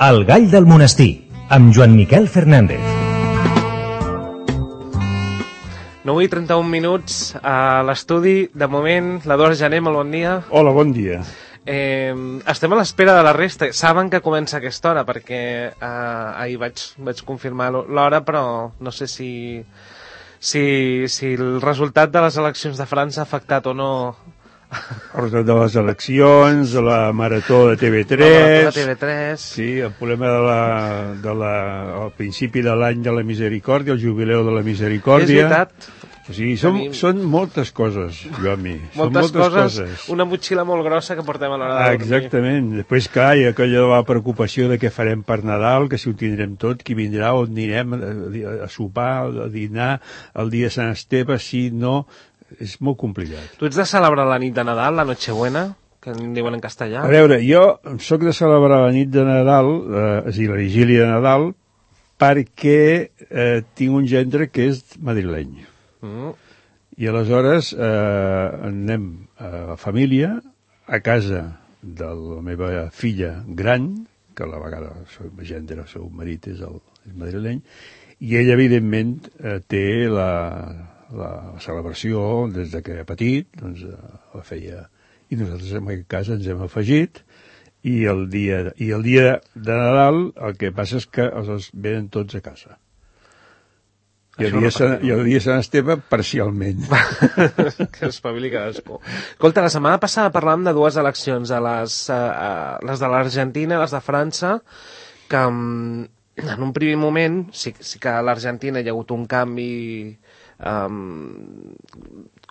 El gall del monestir, amb Joan Miquel Fernández. 9:31 minuts a l'estudi. De moment, l'Eduard Jané, molt bon dia. Hola, bon dia. Estem a l'espera de la resta. Saben que comença a aquesta hora, perquè ahir vaig confirmar l'hora, però no sé si el resultat de les eleccions de França ha afectat o no. El resultat de les eleccions, de la marató de TV3... La marató de TV3... Sí, el problema al principi de l'any de la misericòrdia, el jubileu de la misericòrdia... És veritat. O sigui, són moltes coses, Joan-Mi. Moltes coses. Una motxilla molt grossa que portem a l'hora de dormir. Exactament. Després, clar, hi ha aquella de la preocupació de què farem per Nadal, que si ho tindrem tot, qui vindrà, on anirem a sopar, a dinar, el dia de Sant Esteve, si no... És molt complicat. Tu ets de celebrar la nit de Nadal, la Nochebuena, que en diuen en castellà? A veure, jo sóc de celebrar la nit de Nadal, és a dir, la vigília de Nadal, perquè tinc un gendre que és madrileny. I aleshores anem a la família, a casa de la meva filla gran, que a la vegada el gendre, el seu marit és madrileny, i ell, evidentment, té la celebració des de que era petit, doncs la feia, i nosaltres en aquest cas ens hem afegit, i el dia de Nadal el que passa és que els venen tots a casa. I el dia de Sant Esteve, parcialment. Que espavili cadascú. Escolta, la setmana passada parlàvem de dues eleccions, les de l'Argentina i les de França, que en un primer moment sí que a l'Argentina hi ha hagut un canvi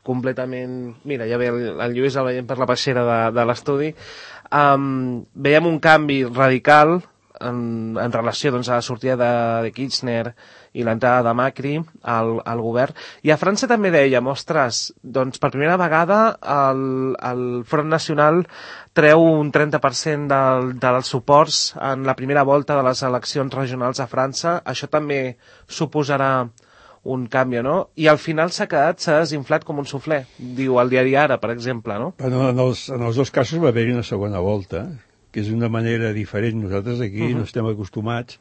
completament... Mira, ja ve el Lluís el veiem per la peixera de l'estudi. Veiem un canvi radical en relació doncs, a la sortida de Kirchner i l'entrada de Macri al govern. I a França també dèiem, ostres, doncs per primera vegada el Front Nacional treu un 30% dels suports en la primera volta de les eleccions regionals a França. Això també suposarà un canvi, no? I al final s'ha desinflat com un suflé, diu el diari Ara, per exemple, no? Però en els dos casos va haver-hi una segona volta, que és una manera diferent. Nosaltres aquí no estem acostumats,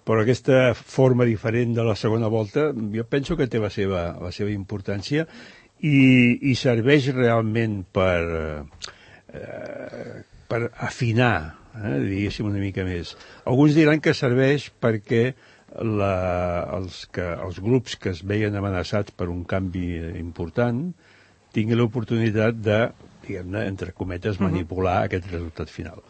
però aquesta forma diferent de la segona volta jo penso que té la seva importància i serveix realment per afinar, diguéssim, una mica més. Alguns diran que serveix perquè els grups que es veien amenaçats per un canvi important tinguin l'oportunitat de, diguem-ne, entre cometes, manipular aquest resultat final.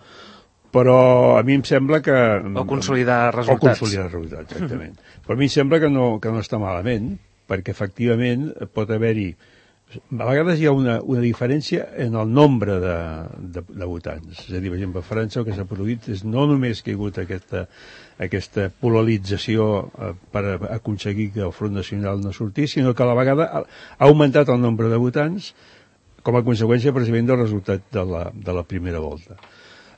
Però a mi em sembla que... O consolidar resultats. Exactament. Però a mi em sembla que no està malament, perquè efectivament pot haver-hi... A vegades hi ha una diferència en el nombre de votants. És a dir, per exemple, a França el que s'ha produït és no només que hi ha hagut aquesta polarització per aconseguir que el Front Nacional no sortís, sinó que a la vegada ha augmentat el nombre de votants com a conseqüència precisament del resultat de la primera volta.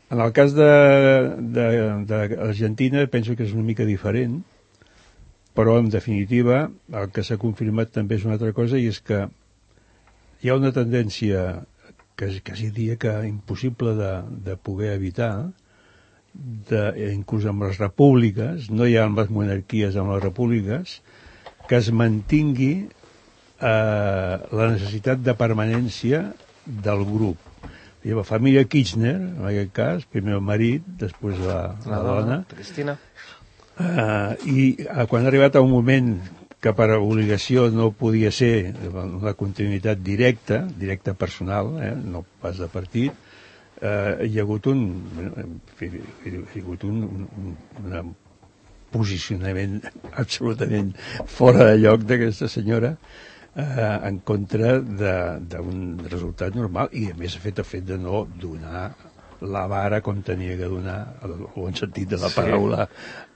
En el cas d'Argentina penso que és una mica diferent, però en definitiva el que s'ha confirmat també és una altra cosa, i és que hi ha una tendència que quasi diria que impossible de poder evitar, inclús amb les repúbliques, no hi ha amb les monarquies, amb les repúbliques, que es mantingui la necessitat de permanència del grup. Hi ha la família Kirchner, en aquest cas, primer el marit, després la dona, Cristina. I quan ha arribat a un moment que per obligació no podia ser una continuïtat directa personal, no pas de partit, hi ha hagut un posicionament absolutament fora de lloc d'aquesta senyora en contra d'un resultat normal, i a més el fet de no donar la vara com tenia que donar, el bon sentit de la paraula,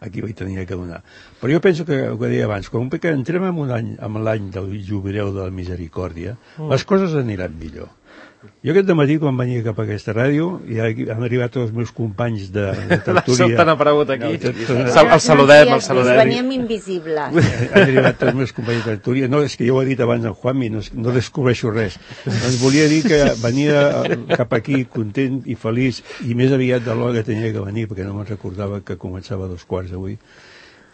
aquí ho tenia que donar. Però jo penso que, el que deia abans, com que entrem en l'any del jubileu de la misericòrdia, les coses aniran millor. Jo aquest dematí, quan venia cap a aquesta ràdio, ja han arribat tots els meus companys de tertúlia. Sobte han aparegut aquí. El saludem, el saludem. Veníem invisibles. Han arribat tots els meus companys de tertúlia. No, és que jo ho he dit abans en Juanmi, no descobreixo res. Ens volia dir que venia cap aquí content i feliç, i més aviat de l'hora que tenia que venir, perquè no me'n recordava que començava a 2:15 avui.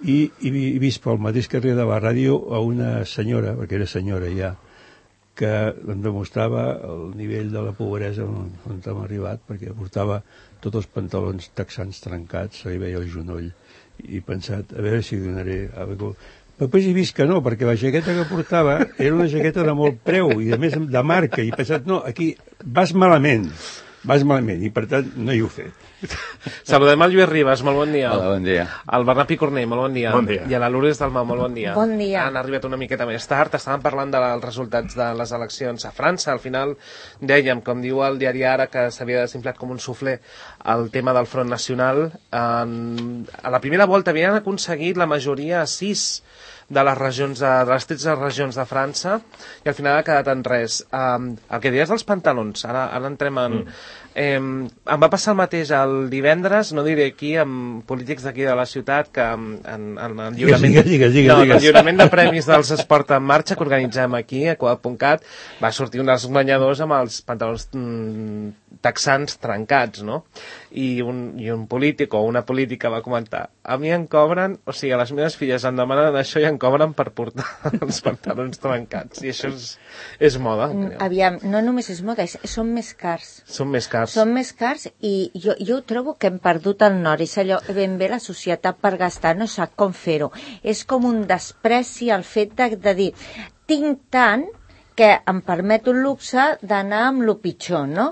I he vist pel mateix carrer de la ràdio a una senyora, perquè era senyora ja, que em demostrava el nivell de la pobresa on hem arribat, perquè portava tots els pantalons texans trencats, se li veia el genoll, i he pensat, a veure si donaré alguna cosa. Però després he vist que no, perquè la jaqueta que portava era una jaqueta de molt preu, i a més de marca, i he pensat, no, aquí vas malament, i per tant no hi ho he fet. Saludem el Lluís Ribas, molt bon dia. Hola, bon dia. El Bernat Picornell, molt bon dia. Bon dia. I a la Lourdes Dalmau, molt bon dia. Bon dia. Han arribat una miqueta més tard, estàvem parlant dels resultats de les eleccions a França. Al final dèiem, com diu el diari Ara, que s'havia desinflat com un suflé el tema del Front Nacional. A la primera volta havien aconseguit la majoria a 6 de les regions de les 13 regions de França, i al final ha quedat en res. El que deies dels pantalons, ara entrem en... em va passar el mateix el divendres, no diré aquí, amb polítics d'aquí de la ciutat, que en el lliurament, el lliurament de premis dels Esport en Marxa que organitzem aquí a Coap.cat va sortir un dels guanyadors amb els pantalons texans trencats, no? I un polític o una política va comentar, a mi em cobren, o sigui, a les meves filles em demanen això i em cobren per portar els pantalons trencats, i això és moda. Aviam, no només és moda, són més cars. Són més cars. Són més cars, i jo trobo que hem perdut el nord. És allò, ben bé la societat per gastar no sap com fer-ho. És com un despreci el fet de dir, tinc tant que em permet un luxe d'anar amb lo pitjor, no?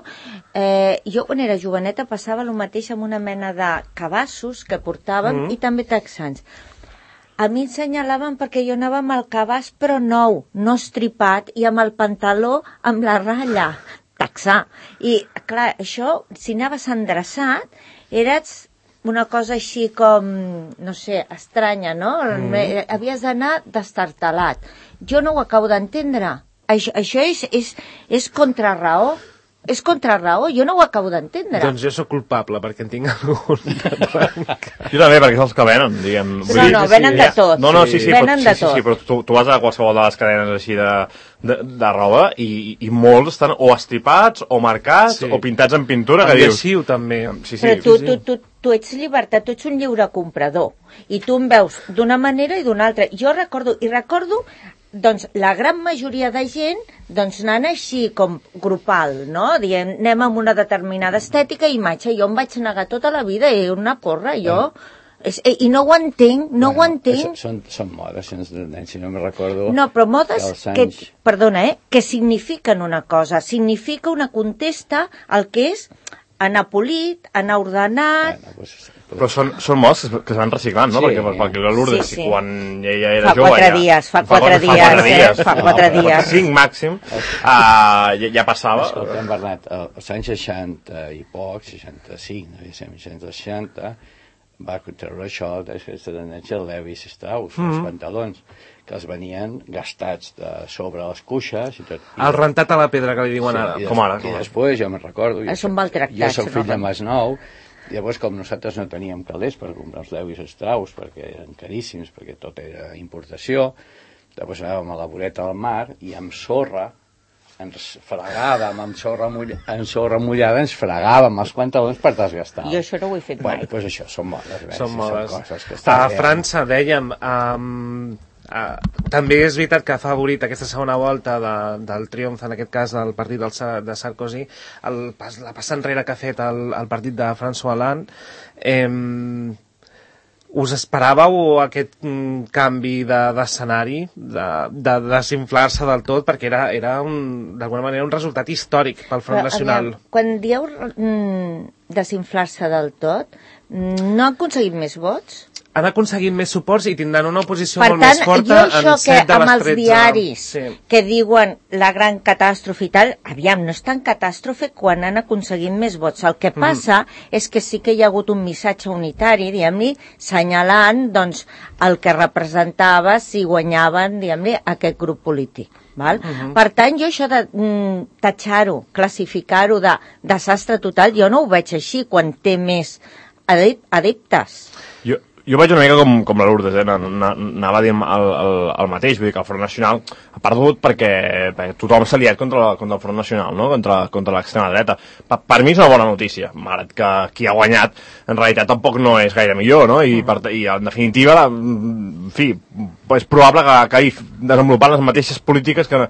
Jo quan era joveneta passava el mateix amb una mena de cabassos que portàvem i també texans. A mi ensenyalaven perquè jo anava amb el cabàs però nou, no estripat, i amb el pantaló amb la ratlla texà. I, clar, això, si anaves endreçat, eres una cosa així com, no sé, estranya, no? Havies d'anar destartalat. Jo no ho acabo d'entendre. Això és contraraó. És contraraó, jo no ho acabo d'entendre. Doncs jo sóc culpable, perquè en tinc algun de blanc. Jo també, perquè són els que venen, diguem. No, venen de tot. No, sí, venen de tot. Sí, però tu vas a qualsevol de les cadenes així de roba i molts estan o estripats, o marcats, o pintats en pintura, que dius... Adhesiu, també. Però tu ets llibertat, tu ets un lliure comprador, i tu em veus d'una manera i d'una altra. Jo recordo, doncs la gran majoria de gent anant així com grupal, no? Diem, anem amb una determinada estètica i imatge. Jo em vaig negar tota la vida, una porra, jo... I no ho entenc, no ho entenc. Són modes, si no me recordo... No, però modes perdona, que signifiquen una cosa, significa una contesta al que és anar polit, anar ordenat... Però són modes que es van reciclant, no? Perquè la Lourdes, quan ella era jove... Fa 4 dies. 5 màxim, ja passava. Escolta, Bernat, als anys 60 i poc, 65, 60, va treure això d'aquesta tendència de Levi Strauss, els pantalons, que els venien gastats sobre les cuixes i tot. El rentat a la pedra, que li diuen ara, com ara. I després, jo me'n recordo, són maltractats. Jo soc fill de Masnou, llavors, com nosaltres no teníem calés per comprar els Levis Strauss, perquè eren caríssims, perquè tot era importació, llavors anàvem a la voreta del mar i amb sorra ens fregàvem, amb sorra mullada ens fregàvem els pantalons per desgastar. Jo això no ho he fet mai. Doncs això són modes. Són coses que a França, dèiem... també és veritat que ha favorit aquesta segona volta del triomf, en aquest cas del partit de Sarkozy, la passa enrere que ha fet el partit de François Hollande. Us esperàveu aquest canvi d'escenari, de desinflar-se del tot, perquè era d'alguna manera un resultat històric pel Front Nacional. Quan dieu desinflar-se del tot, no han aconseguit més vots? Han aconseguit més suports i tindran una oposició molt més forta en 7 de les 13. Per tant, jo això que amb els diaris que diuen la gran catàstrofe i tal, aviam, no és tan catàstrofe quan han aconseguit més vots. El que passa és que sí que hi ha hagut un missatge unitari, diguem-li, senyalant, doncs, el que representava si guanyaven, diguem-li, aquest grup polític. Val? Per tant, jo això de tatxar-ho, classificar-ho de desastre total, jo no ho veig així quan té més adeptes. Jo vaig una mica com la Lourdes, anava a dir el mateix, vull dir que el Front Nacional ha perdut perquè tothom s'ha liat contra el Front Nacional, no? contra l'extrema dreta. Per mi és una bona notícia, malgrat que qui ha guanyat en realitat tampoc no és gaire millor, no? I en definitiva, en fi, és probable que hagi desenvolupat les mateixes polítiques que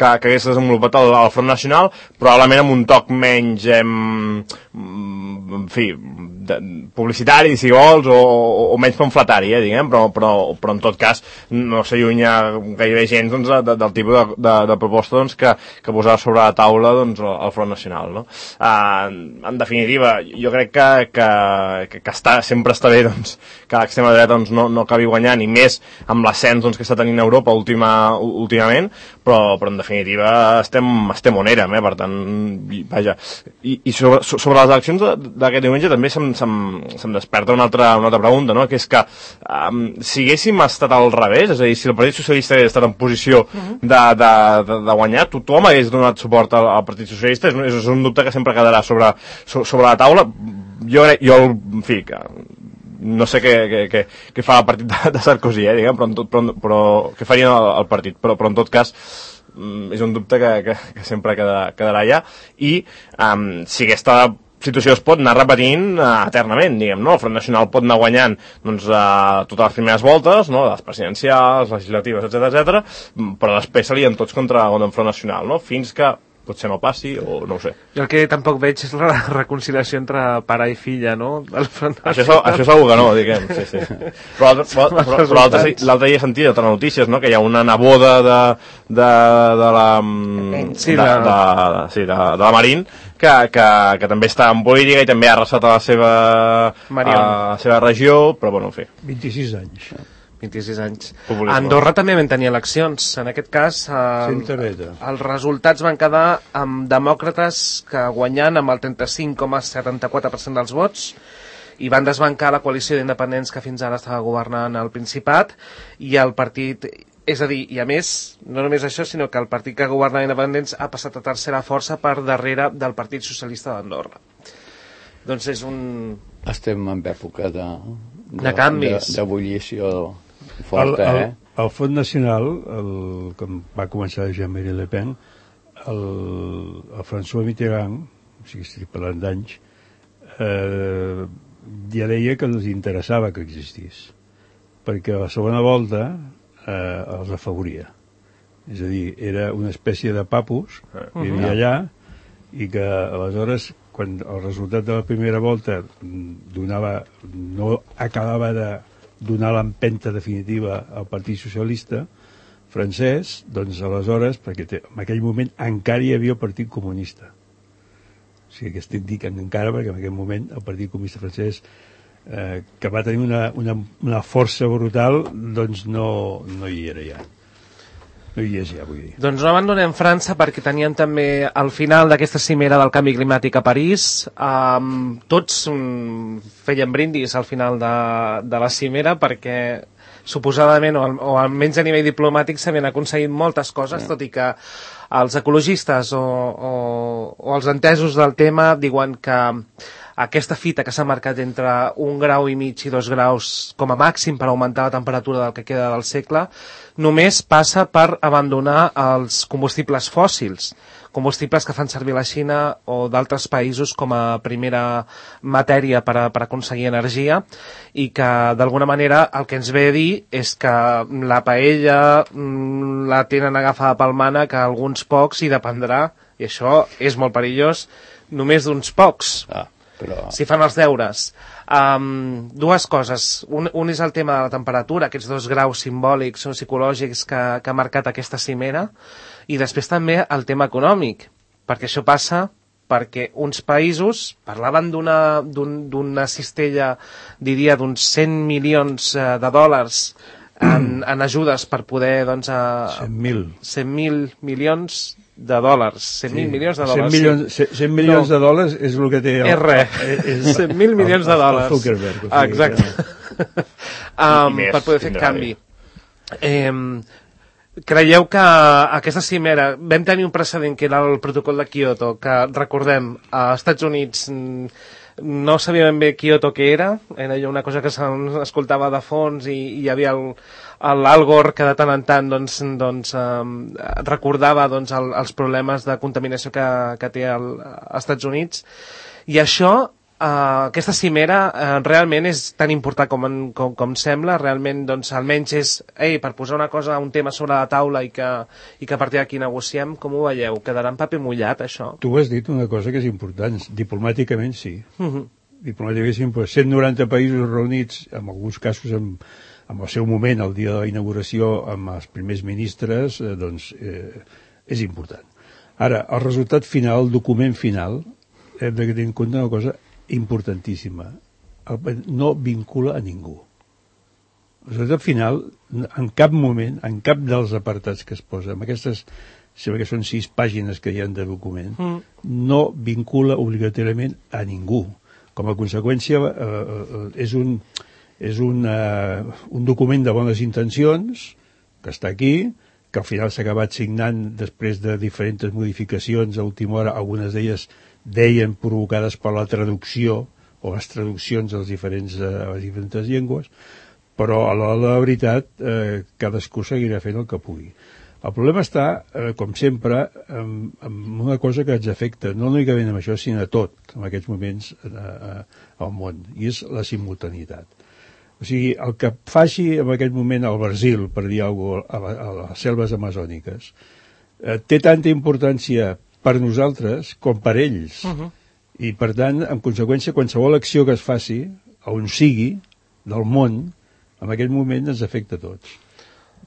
hagués desenvolupat el Front Nacional, probablement amb un toc menys, en fi, publicitari, si vols, o menys pamfletari, diguem, però en tot cas no s'allunya gairebé gens doncs, del tipus de proposta doncs, que posarà sobre la taula doncs, el Front Nacional, no? En definitiva, jo crec que sempre està bé doncs, que l'extrema dreta doncs, no acabi guanyant, i més amb l'ascens doncs, que està tenint Europa últimament, però en definitiva estem on érem, per tant, vaja. I sobre les eleccions d'aquest diumenge també se'm desperta una altra pregunta, no? Que és que si haguéssim estat al revés, és a dir, si el Partit Socialista hagués estat en posició de guanyar, tothom hagués donat suport al Partit Socialista, és un dubte que sempre quedarà sobre la taula. Jo, en fi, no sé què fa el partit de Sarkozy, diguem, però què faria el partit, però en tot cas és un dubte que sempre quedarà allà, i si aquesta situació es pot anar repetint eternament, diguem, no? El Front Nacional pot anar guanyant doncs, totes les primeres voltes, no? Les presidencials, legislatives, etc, però després salien tots contra el Front Nacional, no? Fins que potser no passi, o no ho sé. Jo el que tampoc veig és la reconciliació entre pare i filla, no? Això segur que no, diguem, sí. Però l'altre dia he sentit altres notícies, no? Que hi ha una neboda de la Marín que també està en política i també ha arrasat a la seva regió, però bueno, en fi. 26 anys. 26 anys. A Andorra també van tenir eleccions. En aquest cas, els resultats van quedar amb demòcrates que guanyant amb el 35,74% dels vots, i van desbancar la coalició d'independents que fins ara estava governant el Principat, i el partit... És a dir, i a més, no només això, sinó que el partit que governava independents ha passat a tercera força per darrere del Partit Socialista d'Andorra. Doncs és un... Estem en època de canvis. D'ebullició forta, El Front Nacional, com va començar Jean-Marie Le Pen, el François Mitterrand, o sigui, estic parlant d'anys, ja deia que els interessava que existís, perquè a la segona volta els afavoria. És a dir, era una espècie de papus que hi havia allà, i que aleshores, quan el resultat de la primera volta no acabava de donar l'empenta definitiva al Partit Socialista francès, doncs aleshores, perquè en aquell moment encara hi havia el Partit Comunista. O sigui que estic dient encara perquè en aquell moment el Partit Comunista francès, que va tenir una força brutal, doncs no hi era ja. No hi és ja, vull dir. Doncs no abandonem França perquè teníem també al final d'aquesta cimera del canvi climàtic a París. Tots feien brindis al final de la cimera perquè suposadament, o almenys a nivell diplomàtic, s'havien aconseguit moltes coses, tot i que els ecologistes o els entesos del tema diuen que aquesta fita que s'ha marcat entre 1,5 graus i 2 graus com a màxim per augmentar la temperatura del que queda del segle, només passa per abandonar els combustibles fòssils, combustibles que fan servir la Xina o d'altres països com a primera matèria per aconseguir energia, i que d'alguna manera el que ens ve a dir és que la paella la tenen agafada pel mànec a alguns pocs i dependrà, i això és molt perillós, només d'uns pocs. Si fan els deures. Dues coses. Un és el tema de la temperatura, aquests 2 graus simbòlics o psicològics que ha marcat aquesta cimera, i després també el tema econòmic, perquè això passa perquè uns països parlaven d'una cistella, diria, d'uns 100 milions de dòlars en ajudes per poder, doncs... 100.000 milions de dòlars. 100.000 milions de dòlars. 100 milions de dòlars és el que té... És res. 100.000 milions de dòlars. Zuckerberg. Exacte. Per poder fer canvi. creieu que aquesta cimera, vam tenir un precedent que era el protocol de Kyoto, que recordem, als Estats Units no sabia ben bé Kyoto què era allò una cosa que s'escoltava de fons i hi havia l'Al Gore que de tant en tant recordava els problemes de contaminació que té als Estats Units, i això aquesta cimera realment és tan important com sembla, realment almenys és per posar una cosa, un tema sobre la taula i que a partir d'aquí negociem. Com ho veieu? Quedarà en paper mullat això? Tu has dit una cosa que és important, diplomàticament sí. Diplomàticament sí, 190 països reunits, en alguns casos en el seu moment, el dia de la inauguració, amb els primers ministres, és important. Ara, el resultat final, el document final, hem de tenir en compte una cosa importantíssima. No vincula a ningú. El resultat final, en cap moment, en cap dels apartats que es posa, amb aquestes, sembla que són 6 pàgines que hi ha de document, no vincula obligatòriament a ningú. Com a conseqüència, és un document de bones intencions, que està aquí, que al final s'ha acabat signant després de diferents modificacions a última hora, algunes d'elles deien provocades per la traducció o les traduccions a les diferents llengües, però a l'hora de la veritat cadascú seguirà fent el que pugui. El problema està, com sempre, en una cosa que ens afecta, no únicament amb això, sinó a tot, en aquests moments al món, i és la simultaneïtat. O sigui, el que faci en aquest moment al Brasil, per dir alguna cosa, a les selves amazòniques, té tanta importància per nosaltres com per ells. I, per tant, en conseqüència, qualsevol acció que es faci, on sigui, del món, en aquest moment ens afecta a tots.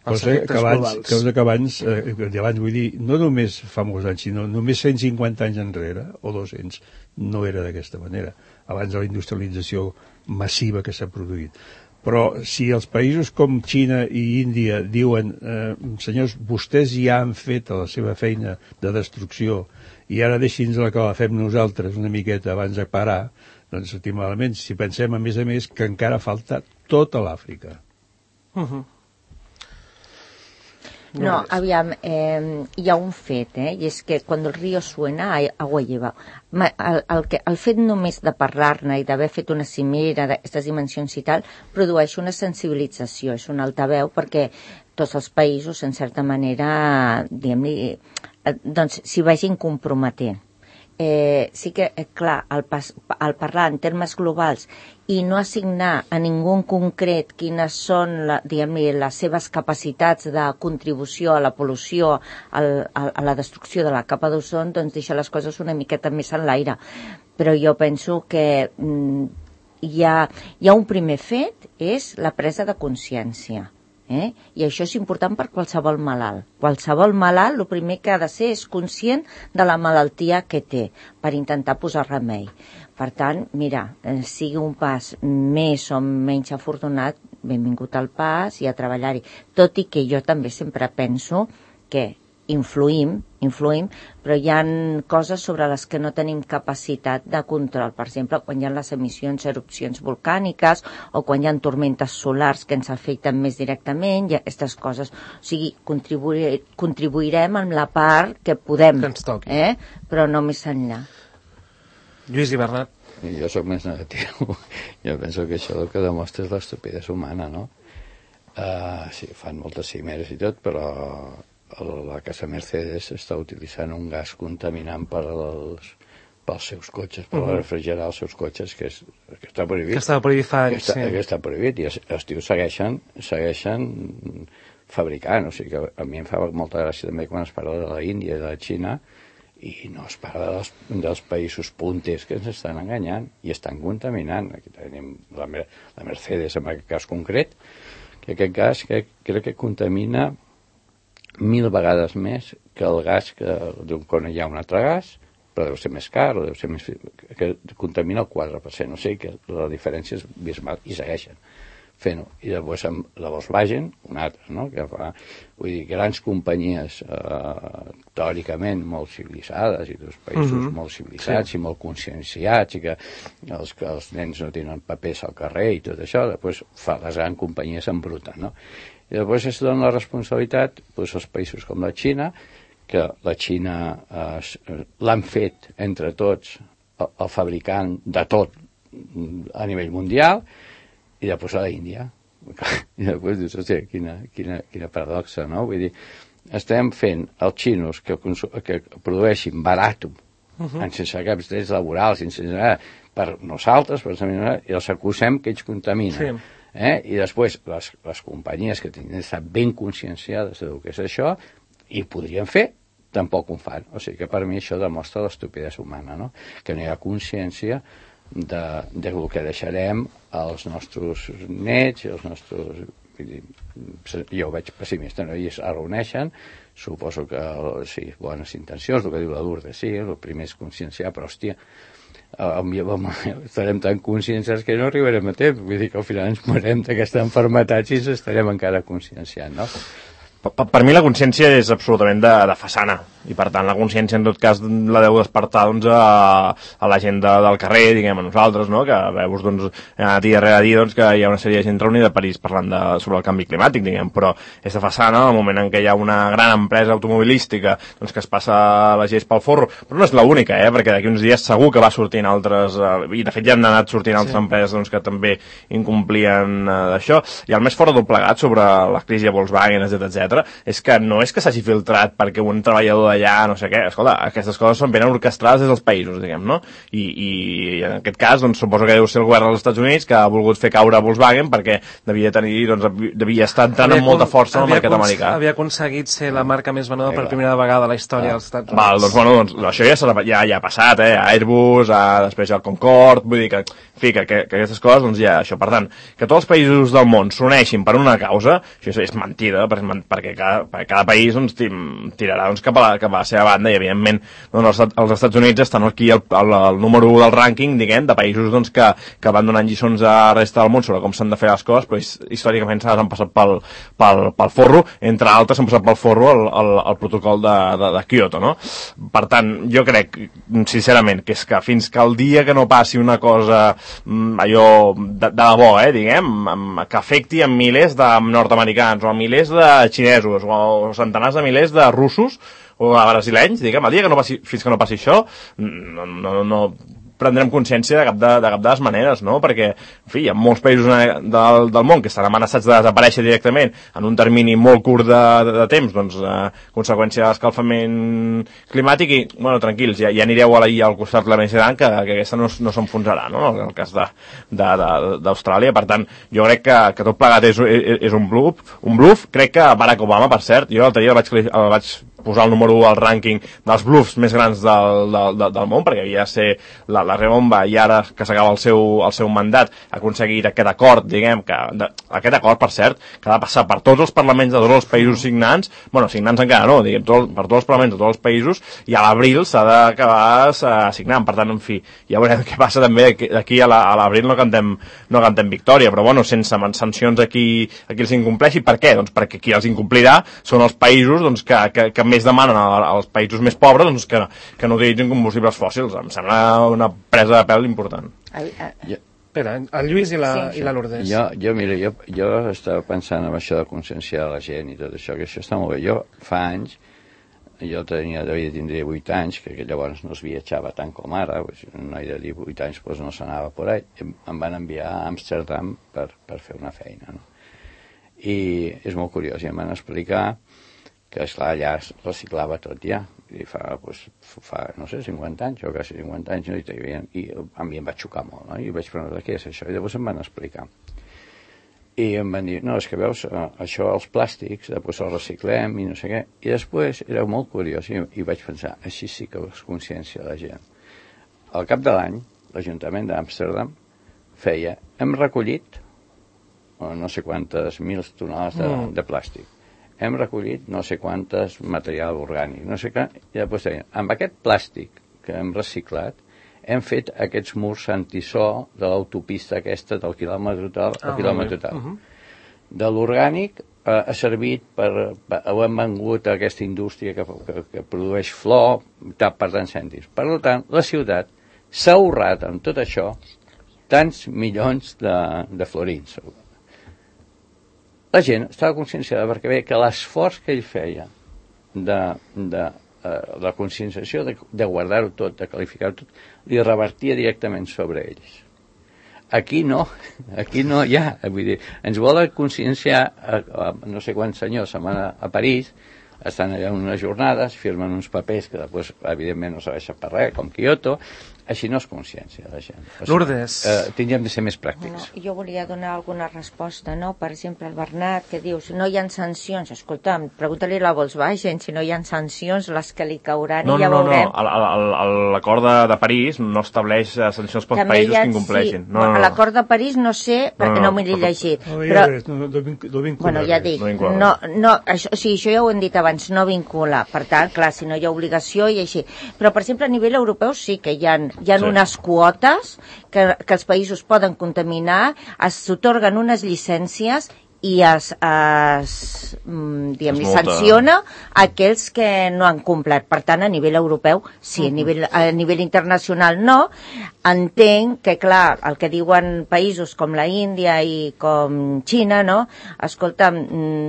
Cosa que abans, vull dir, no només fa molts anys, sinó només 150 anys enrere, o 200, no era d'aquesta manera, abans de la industrialització massiva que s'ha produït. Però si els països com Xina i Índia diuen senyors, vostès ja han fet la seva feina de destrucció i ara deixi'ns que la fem nosaltres una miqueta abans de parar, doncs estic malament. Si pensem, a més, que encara falta tota l'Àfrica. No, aviam, hi ha un fet, i és que quan el río suena, agua lleva. El fet només de parlar-ne i d'haver fet una cimera d'aquestes dimensions i tal, produeix una sensibilització, és un altaveu, perquè tots els països, en certa manera, diguem-li, doncs s'hi vagin comprometent. Sí que, clar, al parlar en termes globals i no assignar a ningú en concret quines són, les seves capacitats de contribució a la pol·lució, a la destrucció de la capa d'ozon, doncs deixa les coses una miqueta més en l'aire. Però jo penso que hi ha un primer fet, és la presa de consciència. I això és important per qualsevol malalt. Qualsevol malalt, el primer que ha de ser és conscient de la malaltia que té, per intentar posar remei. Per tant, mira, sigui un pas més o menys afortunat, benvingut al pas i a treballar-hi. Tot i que jo també sempre penso que influïm, però hi ha coses sobre les que no tenim capacitat de control. Per exemple, quan hi ha les emissions, erupcions volcàniques, o quan hi ha tormentes solars que ens afecten més directament, i aquestes coses. O sigui, contribuirem amb la part que podem, que ens toqui. Però no més enllà. Lluís i Bernat. Jo sóc més negatiu. Jo penso que això el que demostra és l'estupidesa humana, no? Sí, fan moltes cimeres i tot, però la casa Mercedes està utilitzant un gas contaminant pels seus cotxes, per refrigerar els seus cotxes, que està prohibit. Que estava prohibit fa anys, sí. Que està prohibit, i els tios segueixen fabricant. O sigui que a mi em fa molta gràcia també quan es parla de la Índia i de la Xina, i no es parla dels països punters que ens estan enganyant i estan contaminant. Aquí tenim la Mercedes, en aquest cas concret, que aquest gas crec que contamina 1000 vegades més que el gas quan hi ha un altre gas, però deu ser més car, o deu ser més... que contamina el 4%, o sigui que la diferència és abismal, i segueixen fent-ho. I llavors amb la Volkswagen, una altra, no? Que fa, vull dir, grans companyies teòricament molt civilitzades, i dos països molt civilitzats i molt conscienciats, i que els nens no tenen papers al carrer i tot això, després fa les grans companyies embruten, no? I després es dona la responsabilitat doncs, als països com la Xina, que la Xina l'han fet entre tots el fabricant de tot a nivell mundial, i després a l'Índia. I després dius, hòstia, quina paradoxa, no? Vull dir, estem fent els xinos que produeixin barat, sense caps drets laborals, per nosaltres, i els acusem que ells contaminen. Sí. I després les companyies que tenen d'estar ben conscienciades del que és això, i podrien fer, tampoc ho fan. O sigui que per mi això demostra l'estupidesa humana, no? Que no hi ha consciència del que deixarem als nostres nets i als nostres... Jo ho veig pessimista, no? I es reuneixen, suposo que sí, bones intencions, el que diu la Lourdes, sí, el primer és conscienciar, però hòstia, estarem tan conscienciats que no arribarem a temps, vull dir que al final ens morem d'aquesta malaltia i ens estarem encara conscienciant, no? Per mi la consciència és absolutament de façana, i per tant la consciència en tot cas la deu despertar doncs, a la gent del carrer, diguem, a nosaltres, no? Que veus doncs, dia rere dia doncs, que hi ha una sèrie de gent reunida a París parlant sobre el canvi climàtic, diguem, però és de façana el moment en què hi ha una gran empresa automobilística doncs, que es passa les lleis pel forro, però no és l'única, perquè d'aquí uns dies segur que va sortint altres, i de fet ja han anat sortint altres empreses doncs, que també incomplien d'això, i el més fort del plegat sobre la crisi de Volkswagen, etc és que no és que s'hagi filtrat perquè un treballador d'allà, no sé què, escolta, aquestes coses són ben orquestrades des dels països, diguem, no? I en aquest cas, doncs, suposo que deu ser el govern dels Estats Units que ha volgut fer caure Volkswagen perquè devia estar entrant amb molta força en el mercat americà. Havia aconseguit ser la marca més venuda per primera vegada a la història dels Estats Units. Val, doncs, això ja ha passat, Airbus, després el Concorde, vull dir que aquestes coses, doncs ja, això, per tant, que tots els països del món s'uneixin per una causa, això és mentida, perquè cada país doncs, tirarà doncs, cap a la seva banda i evidentment doncs, els Estats Units estan aquí al número 1 del rànquing, diguem, de països doncs, que van donant lliçons a la resta del món sobre com s'han de fer les coses, però històricament s'han passat pel forro, entre altres s'han passat pel forro el protocol de Kyoto, no? Per tant, jo crec sincerament que és que fins que el dia que no passi una cosa allò de debò, diguem, que afecti a milers de nord-americans o a milers de xinesos o centenars de milers de russos o de brasilenys, diguem, el dia que no passi, fins que no passi això, no prendrem consciència de cap de les maneres, no? Perquè, en fi, hi ha molts països del món que estan amenaçats de desaparèixer directament en un termini molt curt de temps, doncs, conseqüència de l'escalfament climàtic i, bueno, tranquils, ja anireu al costat de la Mediterrània que aquesta no s'enfonsarà, no? En el cas d'Austràlia. Per tant, jo crec que tot plegat és un bluff. Crec que Barack Obama, per cert, jo l'altre dia el vaig posar el número 1 al rànquing dels bluffs més grans del món, perquè havia de ser la rebomba i ara que s'acaba el seu mandat ha aconseguit aquest acord, diguem, aquest acord, per cert, que ha de passar per tots els parlaments de tots els països signants, bueno, signants encara no, diguem, per tots els parlaments de tots els països, i a l'abril s'ha d'acabar signant. Per tant, en fi, ja veurem què passa també d'aquí a l'abril no cantem victòria, però bueno, sense sancions aquí els incompleixi. Per què? Doncs perquè qui els incomplirà són els països doncs, que més demanen als països més pobres doncs, que no utilitzin combustibles fòssils. Em sembla una presa de pèl important. Espera, el Lluís i la Lourdes. Jo estava pensant en això de conscienciar la gent i tot això, que això està molt bé. Jo fa anys, tindria 8 anys, que llavors no es viatjava tant com ara, un noi de 18 anys doncs no s'anava per ahí, em van enviar a Amsterdam per fer una feina, no? I és molt curiós, i em van explicar que, esclar, allà es reciclava tot ja, i fa no sé, 50 anys, o quasi 50 anys, no? I a mi em va xocar molt, no? I vaig preguntar, què és això? I llavors em van explicar. I em van dir, no, és que veus, això, els plàstics, després els reciclem i no sé què. I després era molt curiós, i vaig pensar, així sí que es consciencia la gent. Al cap de l'any, l'Ajuntament d'Amsterdam feia, hem recollit no sé quantes mil tonelades de plàstic. Hem recollit no sé quantes material orgànic, no sé què, i després deien, amb aquest plàstic que hem reciclat, hem fet aquests murs antisó de l'autopista aquesta del quilòmetre tal al quilòmetre tal. De l'orgànic ha servit ho hem vengut a aquesta indústria que produeix flor per tants cèntims. Per tant, la ciutat s'ha ahorrat amb tot això tants milions de florins. la gent estava conscienciada perquè veia que l'esforç que ell feia de la conscienciació, de guardar-ho tot, de qualificar-ho tot, li revertia directament sobre ells. Aquí no hi ha, vull dir, ens volen conscienciar, no sé quants senyors se'n van a París, estan allà unes jornades, firmen uns papers que després, evidentment, no serveixen per res, com Kyoto, així no és consciència la gent. O sigui, Lourdes. Tindríem de ser més pràctics. No, jo volia donar alguna resposta, no? Per exemple, el Bernat, que dius, no hi ha sancions. Escolta'm, pregunta-li a la Volkswagen si no hi ha sancions, les que li cauran i ja veurem. L'acord de París no estableix sancions pels països que incompleixin. Sí. L'acord de París no sé, perquè no m'he llegit. Però, bueno, ja dic, això ja ho hem dit abans, no vincula. Per tant, clar, si no hi ha obligació i així. Però, per exemple, a nivell europeu sí que hi ha unes quotes que els països poden contaminar, s'atorguen unes llicències i li sanciona aquells que no han complert. Per tant, a nivell europeu, sí, a nivell internacional no. Entenc que, clar, el que diuen països com la Índia i com Xina, no? Escolta'm,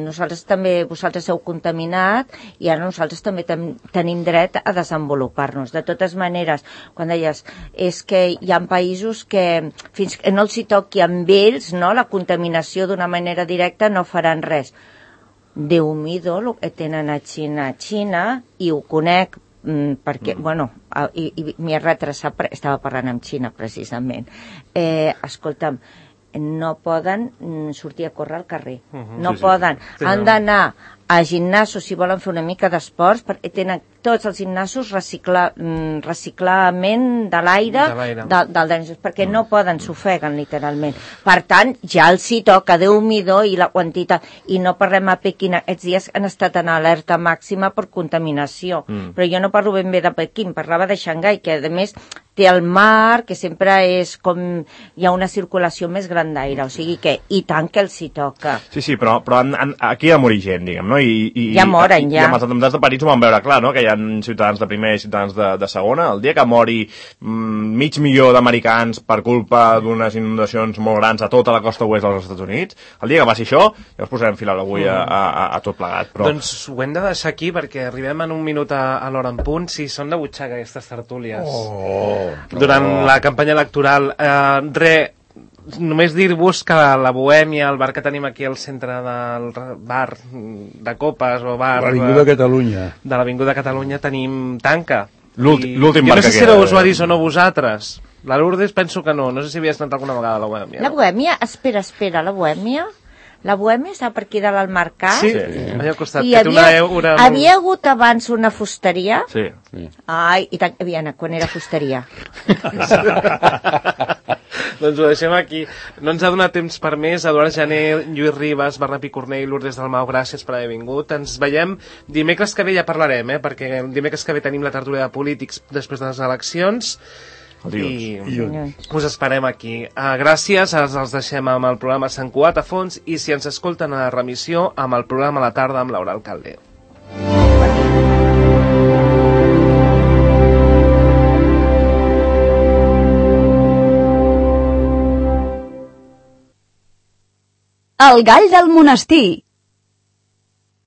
vosaltres heu contaminat i ara nosaltres també tenim dret a desenvolupar-nos. De totes maneres, quan deies, és que hi ha països que fins que no els hi toqui amb ells, no, la contaminació d'una manera directa, no faran res. Déu-m'hi-do el que tenen a Xina, i ho conec perquè, i m'hi he retrasat, estava parlant amb Xina precisament. Escolta'm, no poden sortir a córrer al carrer, no poden, han d'anar a gimnasos si volen fer una mica d'esports, perquè tenen tots els gimnasos reciclament de l'aire perquè no poden, s'ofeguen literalment. Per tant, ja els hi toca, Déu-m'hi-do, i la quantitat, i no parlem a Pequín, aquests dies han estat en alerta màxima per contaminació, però jo no parlo ben bé de Pequín, parlava de Xangai, que a més té el mar, que sempre és com hi ha una circulació més gran d'aire, o sigui que i tant que els hi toca. Sí, però aquí ha de morir gent, diguem, no? Ja moren, ja. I amb els atemptats de París ho vam veure clar, no? Que hi ha ciutadans de primera i ciutadans de segona. El dia que mori 500.000 d'americans per culpa d'unes inundacions molt grans a tota la costa oest dels Estats Units, el dia que passi això, ja us posarem fil a l'agulla a tot plegat. Però... Doncs ho hem de deixar aquí perquè arribem en un minut a l'hora en punt. Si són de butxaca aquestes tertúlies durant la campanya electoral. Només dir-vos que la Bohèmia, el bar que tenim aquí al centre del bar de copes o bar l'Avinguda Catalunya, de l'Avinguda Catalunya, tenim tanca. L'últim bar que queda. Jo no sé si éreu usuaris o no vosaltres. La Lourdes penso que no sé si havies anat alguna vegada a la Bohèmia. La Bohèmia? Espera, la Bohèmia? La Bohèmia està per aquí dalt al mercat? Sí, allà al costat. I havia hagut abans una fusteria? Sí. Ai, i tant, quan era fusteria. Doncs ho deixem aquí. No ens ha donat temps per més. Eduard Janer, Lluís Ribas, Bernat Picornell, Lourdes Dalmau, gràcies per haver vingut. Ens veiem dimecres que ve, ja parlarem, perquè dimecres que ve tenim la tertúlia de polítics després de les eleccions. I us esperem aquí. Gràcies, els deixem amb el programa Sant Cugat a fons i si ens escolten a la remissió amb el programa a la tarda amb Laura Alcalde. El gall del monestir.